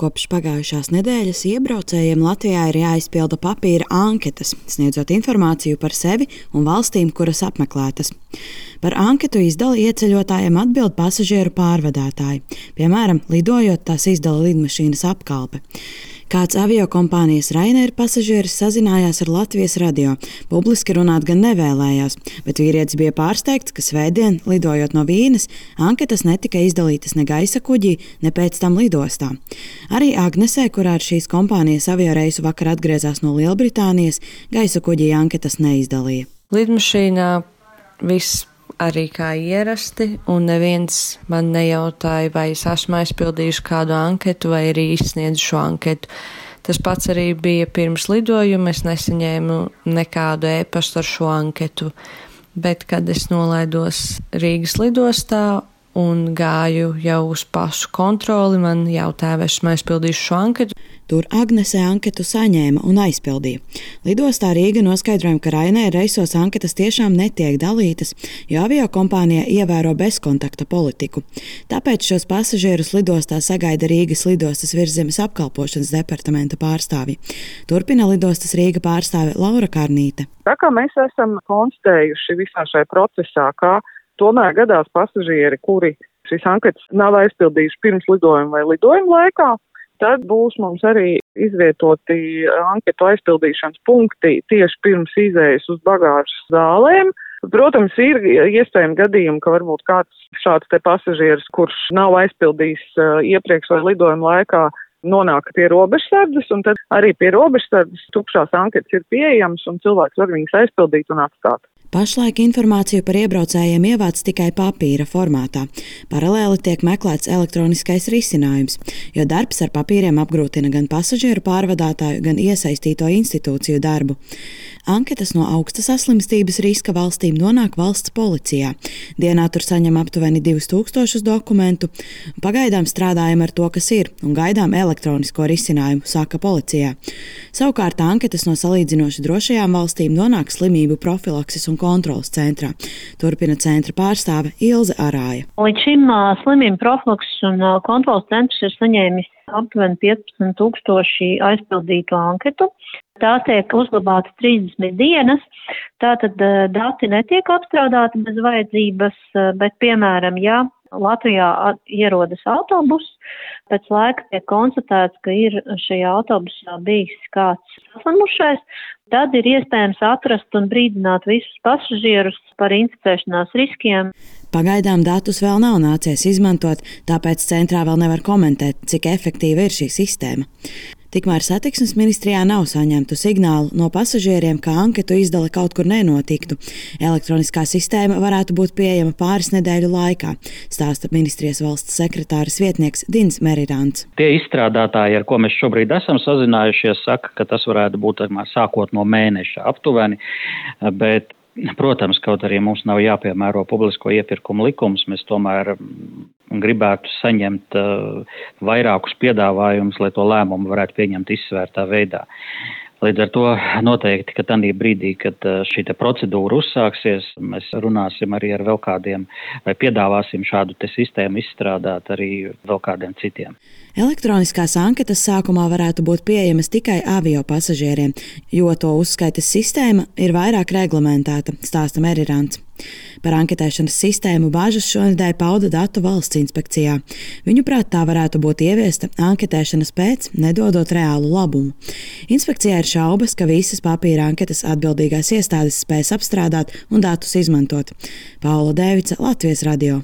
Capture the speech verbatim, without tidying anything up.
Kopš pagājušās nedēļas iebraucējiem Latvijā ir jāizpilda papīra anketas, sniedzot informāciju par sevi un valstīm, kuras apmeklētas. Par anketu izdali ieceļotājiem atbild pasažieru pārvadātāji. Piemēram, lidojot, tās izdala lidmašīnas apkalpe. Kāds aviokompānijas Ryanair pasažieris sazinājās ar Latvijas radio. Publiski runāt gan nevēlējās, bet vīrietis bija pārsteigts, ka svētdien, lidojot no Vīnes, anketas netika izdalītas ne gaisa kuģī, ne pēc tam lidostā. Arī Agnesē, kurā ar šīs kompānijas avioreisu vakar atgriezās no Lielbritānijas, gaisa kuģī anketas neizdalīja. Lidmašīnā viss arī kā ierasti, un neviens man nejautāja, vai es esmu aizpildījuši kādu anketu vai arī izsniedzu šo anketu. Tas pats arī bija pirms lidojuma, es nesaņēmu nekādu e-pastu ar šo anketu, bet kad es nolaidos Rīgas lidostā un gāju jau uz pasu kontroli, man jautāja, vai esmu aizpildījuši šo anketu. Tur Agnesē anketu saņēma un aizpildīja. Lidostā Rīga noskaidrojuma, ka Ryanair reisos anketas tiešām netiek dalītas, jo aviokompānija ievēro bezkontakta politiku. Tāpēc šos pasažierus lidostā sagaida Rīgas lidostas Virszemes apkalpošanas departamenta pārstāvji. Turpina lidostas Rīga pārstāve Laura Karnīte. Tā kā mēs esam konstatējuši visā šajā procesā, ka tomēr gadās pasažieri, kuri šīs anketas nav aizpildījuši pirms lidojuma vai lidojuma laikā, tad būs mums arī izvietoti anketu aizpildīšanas punkti tieši pirms izējas uz bagāžas zālēm. Protams, ir iespējami gadījumi, ka varbūt kāds šāds te pasažieris, kurš nav aizpildījis iepriekš vai lidojuma laikā, nonāk pie robežsardzes, un tad arī pie robežsardzes tukšās anketas ir pieejamas, un cilvēks var viņas aizpildīt un atstāt. Pašlaik informāciju par iebraucējiem ievāc tikai papīra formātā. Paralēli tiek meklēts elektroniskais risinājums, jo darbs ar papīriem apgrūtina gan pasažieru pārvadātāju, gan iesaistīto institūciju darbu. Anketas no augsta saslimstības riska valstīm nonāk valsts policijā. Dienā tur saņem aptuveni divus tūkstošus dokumentu. Pagaidām strādājam ar to, kas ir, un gaidām elektronisko risinājumu, saka policijā. Savukārt anketas no salīdzinoši drošajām valstīm nonāk slimību profilakses un kontrolas centrā. Turpina centra pārstāve Ilze Arāja. Līdz šim uh, slimību profilakses un uh, kontrolas centrs ir saņēmis aptuveni piecpadsmit tūkstoši aizpildītu anketu. Tās tiek uzglabātas trīsdesmit dienas, tātad uh, dati netiek apstrādāti bez vajadzības, uh, bet, piemēram, ja Latvijā ierodas autobus, pēc laika tiek konstatēts, ka ir šajā autobusā bijis kāds saslimušais, tad ir iespējams atrast un brīdināt visus pasažierus par inficēšanās riskiem. Pagaidām datus vēl nav nācies izmantot, tāpēc centrā vēl nevar komentēt, cik efektīva ir šī sistēma. Tikmēr satiksmes ministrijā nav saņemtu signālu no pasažieriem, ka anketu izdale kaut kur nenotiktu. Elektroniskā sistēma varētu būt pieejama pāris nedēļu laikā, stāsta ministrijas valsts sekretāres vietnieks Dins Merirants. Tie izstrādātāji, ar ko mēs šobrīd esam sazinājušies, saka, ka tas varētu būt sākot no mēneša aptuveni, bet protams, kaut arī mums nav jāpiemēro publisko iepirkumu likums, mēs tomēr gribētu saņemt uh, vairākus piedāvājumus, lai to lēmumu varētu pieņemt izsvērtā veidā. Līdz ar to noteikti, ka tādā brīdī, kad šī procedūra uzsāksies, mēs runāsim arī ar vēl kādiem, vai piedāvāsim šādu te sistēmu izstrādāt arī vēl kādiem citiem. Elektroniskās anketas sākumā varētu būt pieejamas tikai avio pasažieriem, jo to uzskaites sistēma ir vairāk reglamentēta, stāsta Merirants. Par anketēšanas sistēmu bāžas šonedēļ pauda Datu valsts inspekcijā. Viņuprāt, tā varētu būt ieviesta anketēšanas pēc, nedodot reālu labumu. Inspekcijā ir šaubas, ka visas papīra anketas atbildīgās iestādes spēs apstrādāt un datus izmantot. Paula Dēvica, Latvijas radio.